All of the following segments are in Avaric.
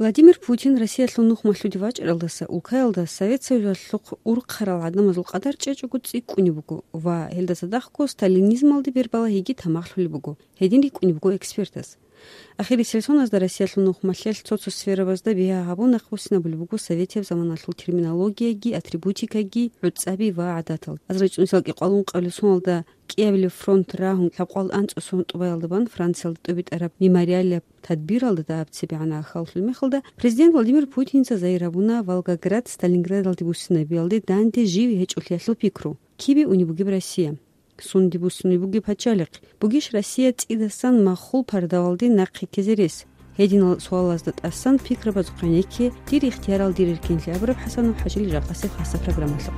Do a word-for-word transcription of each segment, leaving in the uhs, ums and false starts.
Владимир Путин Россиялъул нухмалъуде вачӀаралдаса улкаялда Совет Союзалъухъ урхъарал гӀадамазул къадар чӀечӀого цӀикӀкӀунеб буго ва гьелда цадахъго сталинизмалде бербалагьиги тамахлъулеб буго, гьедин рикӀкӀунеб буго экспертаз. Ахирисел соназда Россиялъул нухмалъелъ цо-цо сферабазда бигьа гьабун, нахъбуссинабулеб буго советияб заманалъул терминологияги, атрибутикаги, гӀуцӀаби ва гӀадатал. АзаричӀунсал кӀикъоялда ункъабилеб соналда кӀиабилеб фронт рагьун лъабкъоялда анцӀцӀасул тӀубаялда бан Франциялда тӀубитӀараб мемориалияб тадбиралда дагьаб цебегӀан ахаллъул мехалда президент Владимир Путинца загьир гьабуна Волгоград Сталинградалде буссинабиялде данде жив гьечӀолъиялъул пикру. Кибе унеб бугеб Россия? Сунде буссунеб бугеб пачалихъ? Бугищ Россия цӀидасан махул пардавалде нахъе ккезе рес? Гьединал суалазда тӀасан пикрабазухъе гӀенекке, дир ихтиярал дир эркенлъи абураб ХӀасанов ХӀажил жакъасеб хасаб программалъухъ.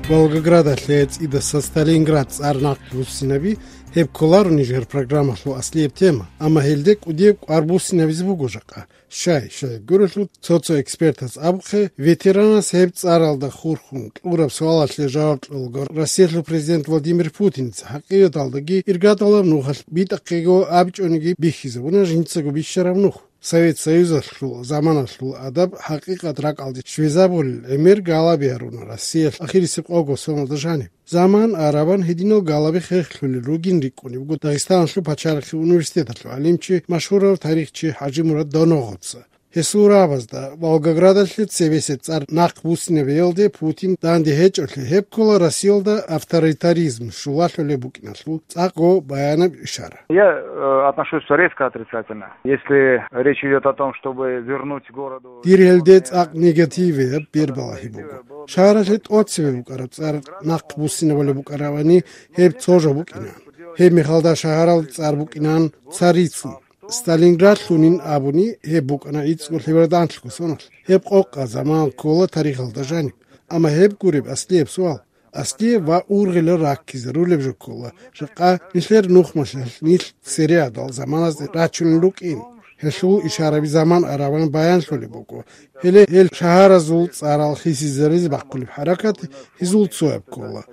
Волгоградалъе цӀидаса Сталинград цӀар нахъ буссинаби, гьеб кколаро нижер программалъул аслияб тема, амма гьелде кӀудияб кӀвар буссинабизе буго жакъа. Щай, щай гурелъул, цо-цо экспертаз абухъе, ветеранас гьеб цӀаралда хурхун кьураб суалалъе жаваб кьолаго Россиялъул президент Владимир Путинца гьакъикъаталдаги иргадалаб нухалъ битӀахъего абичӀониги бихьизабуна жинцаго бищараб нух. Совет Союзалъул заманалъул адаб хӀакъикъат ракӀалде щвезабулел гӀемер галаби гьаруна Россиялъ ахирисеб къого соналда жаниб. Заман арабан гьединал галаби хехлъулел ругин рикӀкӀунеб буго Дагъистаналъул пачалихъе университеталъул гӀалимчи, машгьурав тарихчи ХӀажимурад Доногъоца. Гьесул рагӀабазда Волгоградалъе цебесеб цӀар нахъ буссинабиялде Путин данде гьечӀолъи, гьеб ккола Россиялда авторитаризм щулалъулеб букӀиналъул цӀакъго баянаб ишара. Я, э, отношусь резко отрицательно. Если речь идёт о том, чтобы вернуть городу... Дир гьелде цӀакъ негативияб бербалагьи буго. Шагьаралъе тӀоцебе букӀараб цӀар нахъ буссинабулеб букӀаравани, гьеб цо жо букӀинан. Гьеб мехалда шагьаралда цӀар букӀинан Царицын. Сталинградлъунин абуни, гьеб букӀана гӀицӀго лъебердан анлъго соналъ. Гьеб къокъа заман ккола тарихалда жаниб. Амма гьеб гуреб аслияб суал. Аслияб ва ургъелал раккизарулеб жо ккола, жакъа нилъер нухмалъалъ нилъ цере гӀадал заманазде рачунел рукӀин. Гьелъул ишараби заман арабан баянлъулеб буго. Гьеле гьел шагьаразул цӀарал хисизаризе бахъулеб хӀаракат гьезул цояб ккола.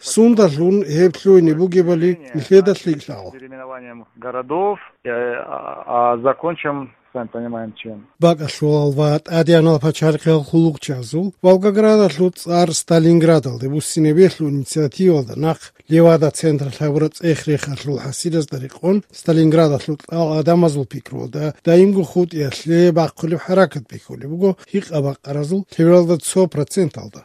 Сундалъун гьеб лъугьине бугебали нилъеда лъикӀ лъала. Переименованием городов, э, а, а закончим, сами понимаем, чем. БакӀалъулал ва тӀадегӀанал пачалихъал хъулухъчазул Волгоградалъул цӀар Сталинградалде буссинабиялъул инициативалда нахъ Левада централъ гьабураб цӀех-рехалъул хӀасилазда рекъон, Сталинградалъул кьал гӀадамазул пикруялда, даимго хутӀиялъе бахъулеб хӀаракат бихьулеб буго гьикъа-бакъаразул лъебералда цо проценталда.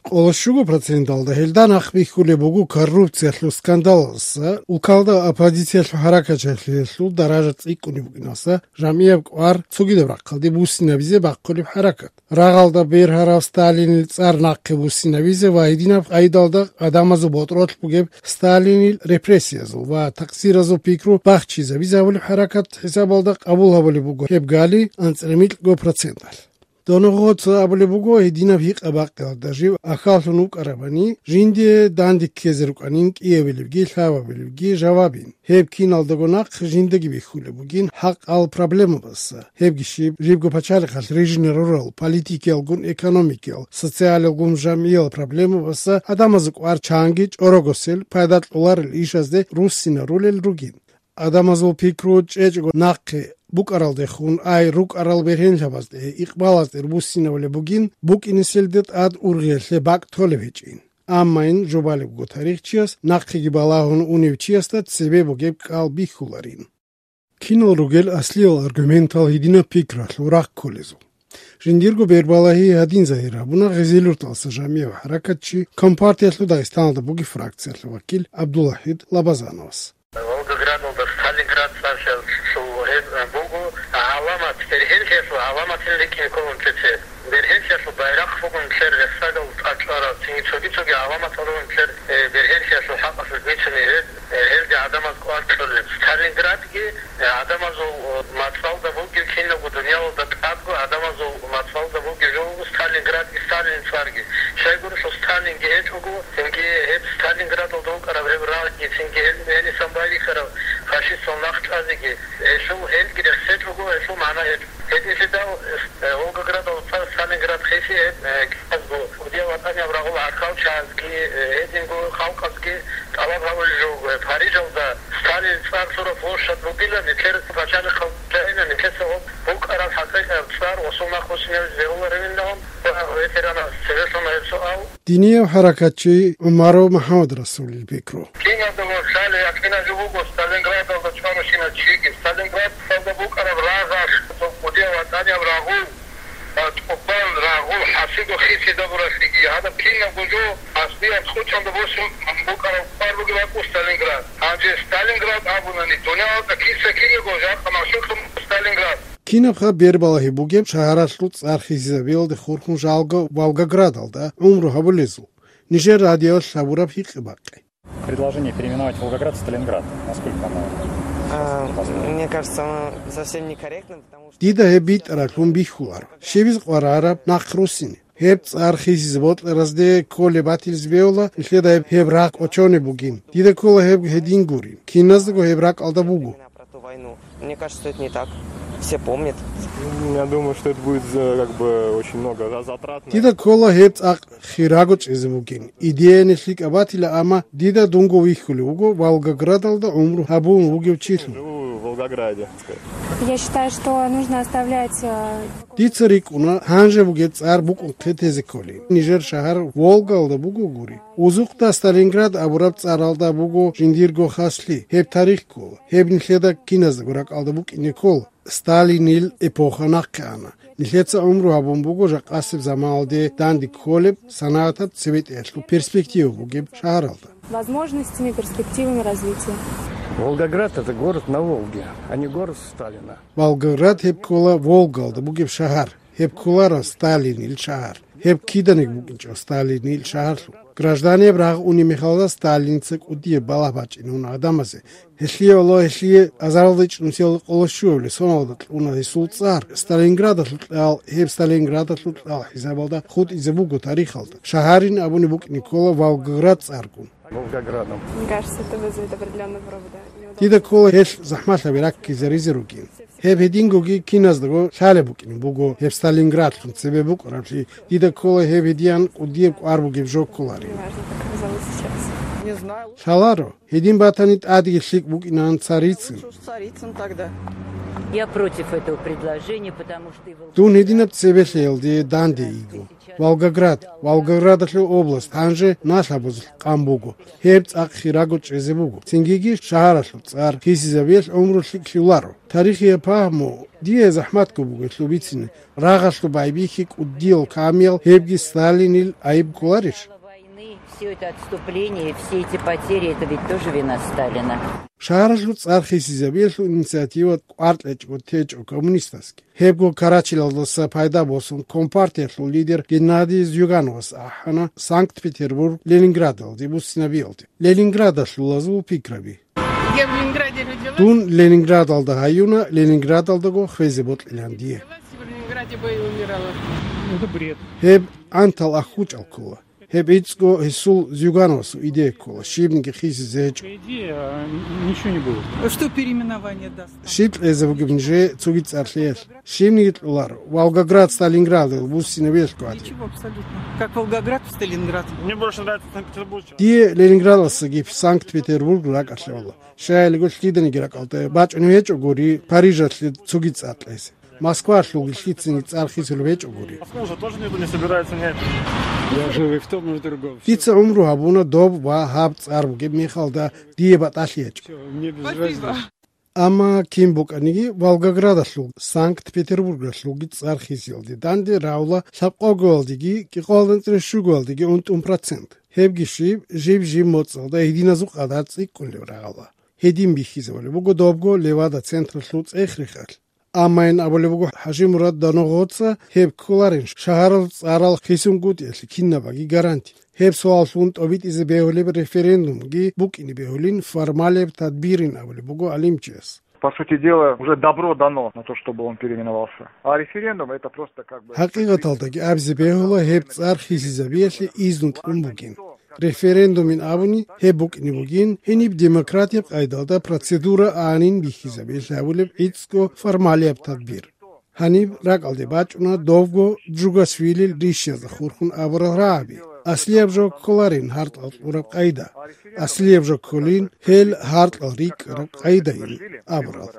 Къоло щуго проценталда гьелда нахъ бихьулеб буго коррупциялъул скандалалдаса, улкалда оппозициялъул хӀаракатчагӀлъиялъул даража цӀикӀкӀунеб букӀиналдаса, жамгӀияб кӀвар цогидаб рахъалде буссинабизе бахъулеб хӀаракат. Рагъалда бергьарав Сталинил цӀар нахъе буссинабизе ва гьединаб къайдалда гӀадамазул ботӀролъ бугеб Сталинил репрессиязул ва такъсиразул пикру бахчизабизе гьабулеб хӀаракат хӀисабалда къабул гьабулеб буго гьеб гали анцӀила микьго проценталъ. Доногъоца абулеб буго, гьединаб гьикъа-бакъиялда жив ахаллъун вукӀарабани, жиндие данде ккезе рукӀанин кӀиабилебги лъабабилебги жавабин. Гьеб киналдаго нахъ жиндаги бихьулеб бугин хӀакъал проблемабаса. Гьебги щиб, жибго пачалихъалъ рижинал рурал политикиялгун, экономикиял, социалиялгун, жамгӀиял проблемабаса гӀадамазул кӀвар чанги чӀорогосел, пайда кьоларел ишазде руссинарулел ругин. Гьадамазул пикру чӀечӀого нахъе букӀаралдехун, ай рукӀарал бергьенлъабазде, икъбалазде руссинавулеб бугин, букӀинеселде тӀад ургъиялъе бакӀ толеб гьечӀин. Аммайин жубалебго тарихчияс нахъеги балагьун унев чиясда цебе бугеб кӀал бихьуларин. Кинал ругел аслиял аргументал гьединаб пикралъул рахъ кколезул? Жиндирго бербалагьи гьадин загьир гьабуна Гъезилюрталса жамгӀияв хӀаракатчи, Компартиялъул Дагъистаналда бугеб фракциялъул вакил ГӀабдулвахӀид Лабазановас. Волгоградалда Сталинград цӀар щас лъугьун буго, гӀаламат, бергьенлъиялъул гӀаламатин рикӀкӀине кколун цеце. Бергьенлъиялъул байрахъ бугун нилъер рехсагал тӀад чӀвараб, цинги цоги-цоги гӀаламатал ругун нилъер, э, бергьенлъиялъул хӀакъалъулъ бицунеб гьеб, э, гьелде гӀадамаз кӀвар кьолеб. Сталинградги, э, гӀадамазул, э, мацӀалда бугеб, кинабго дуниялалда тӀадго гӀадамазул мацӀалда бугеб жо буго Сталинградги, Сталинил цӀарги. Щайгурелъул Сталинги гьечӀого, цинги гьеб Сталинградалда вукӀараб гьеб рагъги, цинги гьел гьенисан байбихьараб фашистал нахъ чӀвазеги, гьелъул гьелги рехсечӀого, гьелъул магӀна гьечӀо. Гьединлъидал, э, Волгоградалда Сталинград хиси гьеб, э, кӀиязго, кӀудияв ватӀанияб рагъул гӀахьалчагӀазги, э, гьединго халкъазги тӀалаб гьаб- Парижалда Сталин цӀар лъураб площадь бугила, нилъер пачалихъал чагӀина, нилъеца гьоб букӀараб хӀакъикъаб цӀар, гъосул нахъ бусинаб зегьуларевинагьун, ва ветеранас цевелъун гьеб суал. Динияв хӀаракатчи ГӀумаров МухӀаммадрасулил пикру. Киналдаго лъалеб якъинаб жо буго Сталинградалда чӀваращинав чиги. Сталинградалда букӀараб рагъалъ, кӀудияв ватӀанияб рагъул, а, тӀубан рагъул хӀасиго хисида буралъиги. Гьадаб кинабго жо аслияб кьучӀалда босун букӀараб квар бугеб бакӀу Сталинград. Гьанже Сталинград абунани, дунялалда киса-кинего жакъа машгьурлъун Сталинград. Кинабха бербалагьи бугеб шагьаралъул цӀар хисизабиялде хурхун жалго Волгоградалда гӀумру гьабулезул? Нижер радиоялъ гьабураб гьикъи-бакъи. Предложение переименовать Волгоград в Сталинград. Насколько оно А, возможно? Мне кажется, оно совсем некорректно, потому что Дида гьеб битӀаралъун бихьуларо. Щибиз къварараб нахъ руссине. Гьеб цӀар хисизе бокьаразде кколеб батилзе бегьула, нилъеда гьеб, гьеб рагъ кӀочонеб бугин. Дида ккола гьеб гьедин гурин. Киназдаго гьеб ракӀалда буго. Про ту войну. Мне кажется, это не так. Все помнят. Я думаю, что это будет, э, как бы, очень много за-, затратно. Дида ккола гьеб цӀакъ хирабго чӀезе бугин. Идеяни лъикӀаб батила, амма дида дунго вихьулев вуго Волгоградалда гӀумру гьабун вугев чилъун. Живу в Волгограде. Я считаю, что нужно оставлять, э, Дица рикӀкӀуна, гьанже бугеб цӀар букӀун хъетезе кколин. Нижер шагьар Волгалда буго гури. Узухъда Сталинград абураб цӀаралда буго жиндирго хаслъи. Гьеб тарих ккола. Гьеб нилъеда киназдаго ракӀалда букӀине ккола. Сталинил эпоха нахъе ана. Нилъеца гӀумру гьабун буго жакъасеб заманалде данде кколеб, санагӀатаб цебетӀеялъул перспектива бугеб шагьаралда. Возможностями, перспективами развития. Волгоград — это город на Волге, а не город Сталина. Волгоград гьеб ккола Волгалда бугеб шагьар. Гьеб кколаро Сталинил шагьар. Гьеб киданиги букӀинчӀо Сталинил шагьарлъун. Гражданияб рагъ унеб мехалда Сталинца кӀудияб балагь бачӀине уна гӀадамазе. Гьелъие, Аллагь, гьелъие азаралда ичӀнусиялда къоло щуабилеб соналда кьуна гьесул цӀар. Сталинградалъул кьал, гьеб Сталинградалъул кьал хӀисабалда хутӀизе буго тарихалда. Шагьарин абуни букӀине ккола Волгоград цӀаргун. Волгоградом. Мне кажется, это вызовет определённый вывод, да, неудобство. Дида ккола гьелъ захӀмалъаби раккизаризе ругин. Гьеб гьедингоги киназдаго лъалеб букӀине буго гьеб Сталинградлъун цебе букӀараблъи, дида ккола гьеб гьедиян кӀудияб кӀвар бугеб жо кколарин. Неважно, как оказалось сейчас. Не знаю. Лъаларо, гьедин батани тӀадеги лъикӀ букӀинан Царицын. Лучше уж Царицын тогда. Я против этого предложения, потому что и Волгоград Дун гьединаб цебе лъеялде данде йиго. Волгоград, Волгоградалъул область гьанже налъабазулъ къан буго. Гьеб цӀакъ хирабго чӀезе буго. Цингиги шагьаралъул цӀар хисизабиялъ гӀумру лъикӀлъи лъоларо. Тарихияб пагьму дие захӀматго буго гьелъул бицине. Рагъалъул байбихьи кӀудиял камиял гьебги Сталинил айиб кколарищ? Войны, всё это отступление, все эти потери, это ведь тоже вина Сталина. Шагьаралъул цӀар хисизабиялъул инициатива кӀвар кьечӀого течӀо коммунистасги. Гьебго Карачилалдаса пайда босун компартиялъул лидер Геннадий Зюгановас ахӀана Санкт-Петербург Ленинградалде буссинабиялде. Ленинградалъулазул пикраби. Я в Ленинграде родилась. Дун Ленинградалда гьаюна, Ленинградалдаго хвезе бокьилан дие. Родилась и в Ленинграде бы и умирала. Это бред. Гьеб антал ахӀучӀал ккола. Гьеб гӀицӀго гьесул Зюгановасул идея ккола, щибниги хисизе гьечӀо. Идея, а, ничего не будет. Что переименование даст? Щиб кьезе бугеб нижее цоги цӀар лъеялъ? Щибниги кьоларо, Волгоград Сталинградалъ буссинабиялъго гӀадин. Ничего абсолютно. Как Волгоград в Сталинград. Мне больше нравится Санкт-Петербург. Дие Ленинградалдасаги Санкт-Петербург ракӀалъе ккола. Щайилго лъиданиги ракӀалде бачӀунеб гьечӀо гури Парижалъе цоги цӀар кьезе. Москвалъулги лъицаниги цӀар хисулеб гьечӀо гури. Москву уже тоже никто не собирается менять. Я жил и в том, и в другом. Дица гӀумру гьабуна доб ва гьаб цӀар бугеб мехалда дие батӀалъи гьечӀо. Всё, мне без разницы. Амма кин букӀаниги, Волгоградалъул, Санкт-Петербургалъулги цӀар хисиялде данде рагӀула лъабкъоялдеги кӀикъоялда анцӀила щугоялдеги унтӀун процент. Гьебги щиб, жиб-жиб моцӀалда гьединазул къадар цӀикӀкӀунеб рагӀула. Гьедин бихьизабулеб буго добго Левада централъул цӀех-рехалъ. Амма ин абулеб буго ХӀажимурад Доногъоца, гьеб кколарин шагьарал цӀарал хисунгутӀиялъе кинабаги гаранти. Гьеб суаллъун тӀобитӀизе бегьулеб референдумги букӀине бегьулин формалияб тадбирин абулеб буго гӀалимчияс. По сути дела, уже добро дано на то, чтобы он переименовался. А референдум — это просто как бы... ХӀакъикъаталдаги абизе бегьула гьеб цӀар хисизабиялъе изну кьун бугин. Референдумин абуни гьеб букӀине бугин, гьениб демократияб къайдалда процедура анин бихьизабиялъе гьабулеб гӀицӀго формалияб тадбир. Гьаниб ракӀалде бачӀуна довго Джугашвилил ришшазда хурхун абурал рагӀаби. Аслияб жо кколарин гьаркьал кьураб къайда. Аслияб жо кколин гьел гьаркьал рикӀкӀараб къайдайин абурал.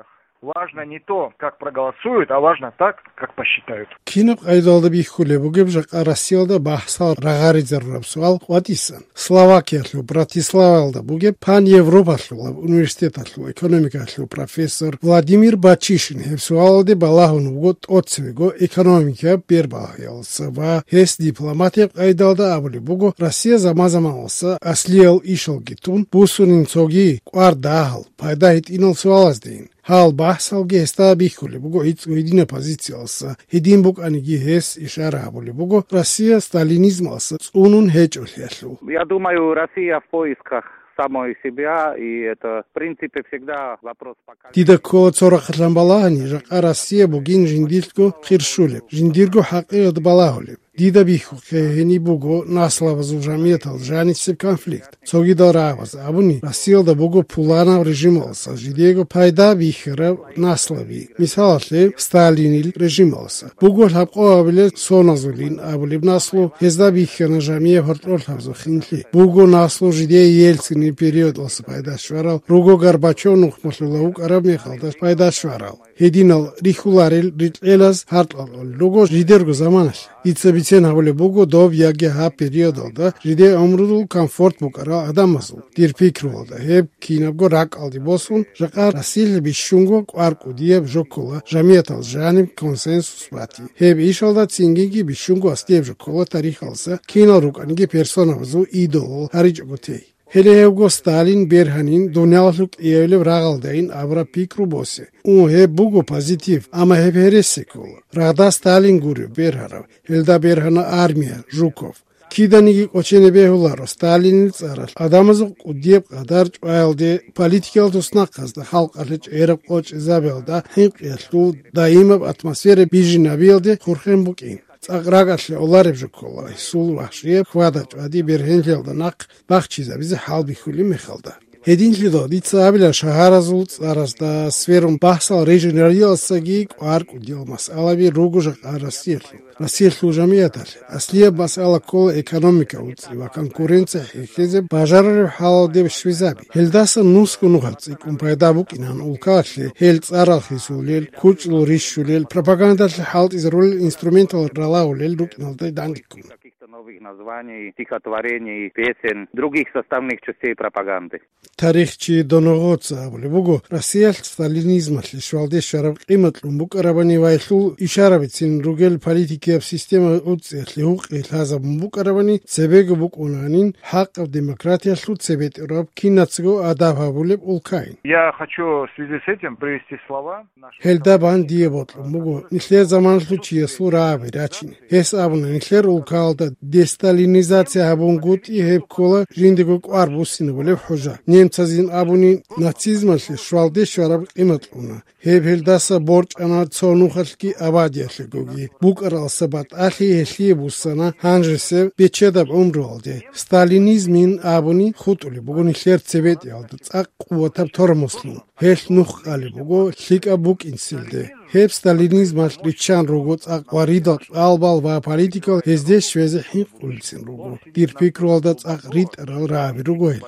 Важно не то, как проголосуют, а важно так, как посчитают. Кинаб къайдалда бихьулеб бугеб жакъа Россиялда бахсал рагъаризарураб суал къватӀисан? Словакиялъул Братиславаялда бугеб паневропалъулаб университеталъул экономикалъул профессор Владимир Бачишин гьеб суалалде балагьун вуго тӀоцевего экономикияб бербагьаялдаса ва гьес дипломатияб къайдалда абулеб буго Россия заман-заманалса аслиял ишалги тун буссунин цоги кӀвар дагьал, пайда гьитӀинал суалаздейин. Гьал бахсалги гьесда бихьулеб буго гӀицӀго гьединаб позициялдаса, гьедин букӀаниги гьес ишара гьабулеб буго Россия сталинизмалдаса цӀунун гьечӀолъиялъул. Я думаю, Россия в поисках самой себя, и это, в принципе, всегда вопрос поколения. Дида ккола цо рахъалъан балагьани, жакъа Россия бугин жиндилъго хирщулеб, жиндирго хӀакъикъат балагьулеб. Дида бихьухъе гьениб буго наслабазул жамиятал жанисеб конфликт. Цогидал рагӀабаз абуни, Россиялда буго пуланаб режималдаса жидего пайда бихьараб наслаби. Мисалалъе, Сталинил режималдаса. Буго лъабкъоабилел соназулин абулеб наслу, гьезда бихьана жамияб гьоркьорлъабазул хинлъи. Буго наслу жидее Ельцинил периодалдаса пайда щварал, руго Горбачев нухмалъула вукӀараб мехалда пайда щварал. Гьединал рихьуларел рикьелаз гьаркьалъулел руго жидерго заманалъ. Дица бицен гьабулеб буго доб яги гьаб периодалда жидее гӀумрудул комфорт букӀарал гӀадамазул, дир пикруялда, гьеб кинабго ракӀалде босун, жакъа Россиялъ бищунго кӀвар кӀудияб жо ккола, жамиятал жаниб консенсус бати. Гьеб ишалда цинги бищунго аслияб жо ккола тарихалдаса кинал рукӀаниги персонабазул идолал гьаричӀого тей. Гьеле гьевго Сталин бергьанин дуниялалъул кӀиявилеб рагъалдайин абураб пикру босе. Ун, гьеб буго позитив, амма гьеб гьереси ккола. Рагъда Сталин гуреб бергьарав, гьелда бергьана армия, Жуков. Киданиги кӀочене бегьуларо Сталинил цӀаралъ гӀадамазул кӀудияб къадар чӀваялде, политикиял туснахъазда, халкъалъе чӀераб къо чӀезабиялда хӀинкъиялъул даимаб атмосфера бижинабиялде хурхен букӀин. ЦӀакъ ракӀалъе олареб жо ккола гьесул вагьшияб хьвада-чӀвади бергьенлъиялда нахъ бахчизабизе хӀалбихьулеб мехалда. Гьединлъидал дица абила шагьаразул цӀаразда сверун бахсал регионалиялдасаги кӀвар кӀудиял масъалаби руго жакъа Россиялъул. Россиялъул жамияталъе аслияб масъала ккола экономика уцӀи ва конкуренция хӀехьезе бажарареб хӀалалде щвезаби. Гьелдаса нусго нухалъ цӀикӀкӀун пайда букӀинан улкаялъе гьел цӀарал хисулел, кучӀлъул рищулел, пропагандалъе хӀалтӀизарулел инструментал ралагьулел рукӀиналда дандеккун. Каких-то новых названий, стихотворений, песен, других составных частей пропаганды. Тарихчи Доногоца абулеб буго, Россиялъ сталинизмалъе щвалде щвараб къимат кьун букӀарабани ва гьелъул ишарабицин ругел политикияб система уцӀиялъе гьукъи лъазабун букӀарабани, цебего букӀунанин хӀакъаб демократиялъул цебетӀераб кинацаго адаб гьабулеб улкайин. Я хочу в связи с этим привести слова нашего Гьелда бан дие бокьун буго нилъер заманалъул чиясул рагӀаби рачине. Гьес абуна, нилъер улкаялда десталинизация гьабунгутӀи гьеб ккола жиндего кӀвар буссинабулеб хӀужа. Немцазин абуни, нацизмалъе щвалде щвараб къимат кьуна. Гьеб гьелдаса борчӀана цо нухалъги абадиялъегоги. БукӀаралдаса батӀалъи гьелъие буссана гьанжесеб бечедаб гӀумруялде. Сталинизмин абуни хутӀулеб буго нилъер цебетӀиялда цӀакъ къуватаб тормозлъун. Гьелъ нух къалеб буго лъикӀаб букӀинцилде. Гьеб сталинизмалъ риччан руго цӀакъ ва ридал кьалбал ва политикал гьезде щвезе хӀинкъулелцин руго. Дир пикруялда цӀакъ ритӀарал рагӀаби руго гьел.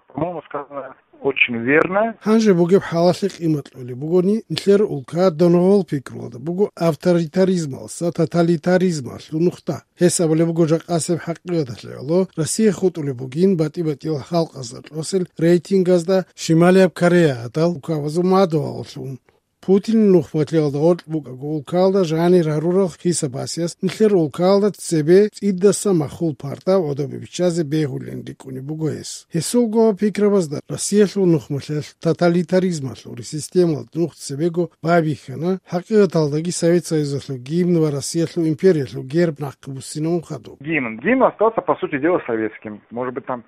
По-моему, сказано очень верно. Гьанже бугеб хӀалалъе къимат кьолеб бугони, нилъер улка доногъол пикруялда буго авторитаризмалса тоталитаризмалъул нухда. Гьес абулеб буго жакъасеб хӀакъикъаталъе гӀоло, Россия хутӀулеб бугин батӀи-батӀиял халкъазда кьосел рейтингазда Шималияб Корея гӀадал улкабазул мадугьаллъун. Путинил нухмалъиялда гъоркь букӀаго улкаялда жанир гьарурал хисабасиялъ нилъер улкаялда цебе цӀидаса махул парда гӀодобе биччазе бегьулин рикӀкӀунеб буго гьес. Гьесулго пикрабазда Россиялъул нухмалъиялъ тоталитаризмалъул системалда нух цебего байбихьана, хӀакъикъаталдаги Совет Союзалъул гимн ва Россиялъул империялъул герб нахъе буссинабун хадуб. Гимн. Гимн остался, по сути дела, советским. Может быть, там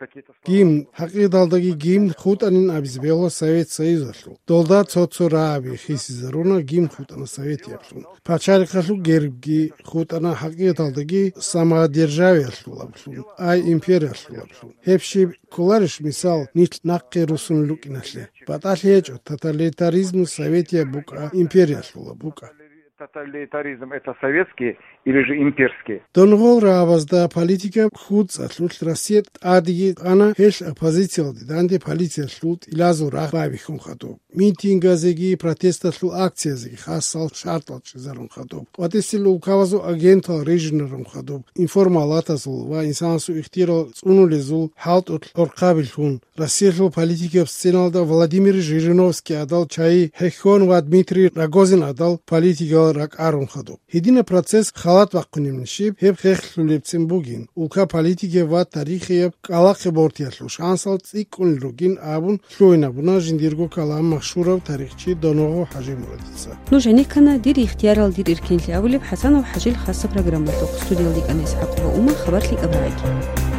какие-то слова. Гимн, хӀакъикъаталдаги гимн хутӀанин абизе бегьула Совет Союзалъул. Долда цо-цо рагӀаби хисизаруна, гимн хутӀана советиялъун. Пачалихъалъул гербги хутӀана хӀакъикъаталдаги самодержавиялъулаблъун, ай империялъулаблъун. Гьеб щиб кколарищ, мисал, нилъ нахъе руссун рукӀиналъе? БатӀалъи гьечӀо, тоталитаризму советияб букӀа, империялъула букӀа. Тоталитаризм — это советский или же имперский? Донгъол рагӀабазда политика хьуцӀалъулъ Россия тӀадеги ана, гьелъ оппозициялде данде полициялъул тӀилазул рагъ байбихьун хадуб. Митингазеги протесталъул акциязеги хасал шартӀал чӀезарун хадуб. КъватӀисел улкабазул агентал режинарун хадуб. Информалатазул ва инсанасул ихтияр цӀунулезул хӀалтӀулъ гӀорхъабилъун, Россиялъул политикияб сценалда Владимир Жириновский гӀадал чагӀи хӀехьон ва Дмитрий Рогозин гӀадал политикиял ракӀарун хадуб. Гьединаб процесс халат бахъунеб нижиб, гьеб хехлъулебцин бугин, улка политикияб ва тарихияб кӀкӀалахъе бортиялъул шансал цӀикӀкӀунел ругин абун лъугьинабуна жиндирго калам машгьурав тарихчи Донгъо ХӀажимурадица. Нуж гӀенеккана «Дир ихтиярал, дир иркенлъи» абулеб ХӀасанов ХӀажил хасаб программалъухъ. Студиялда кӀана ИсхӀакъова Умар, хабарлъи кӀабарагӀи.